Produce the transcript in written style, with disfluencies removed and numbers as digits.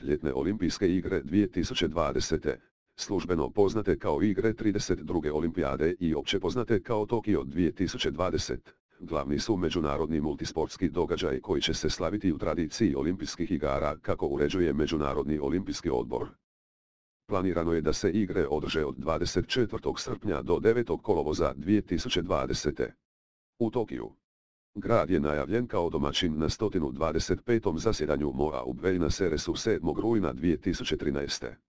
Ljetne olimpijske igre 2020. Službeno poznate kao igre 32. olimpijade i opće poznate kao Tokio 2020. Glavni su međunarodni multisportski događaj koji će se slaviti u tradiciji olimpijskih igara kako uređuje Međunarodni olimpijski odbor. Planirano je da se igre održe od 24. srpnja do 9. kolovoza 2020. U Tokiju. Grad je najavljen kao domaćin na 125. zasjedanju MOA u Buenos Airesu 7. rujna 2013.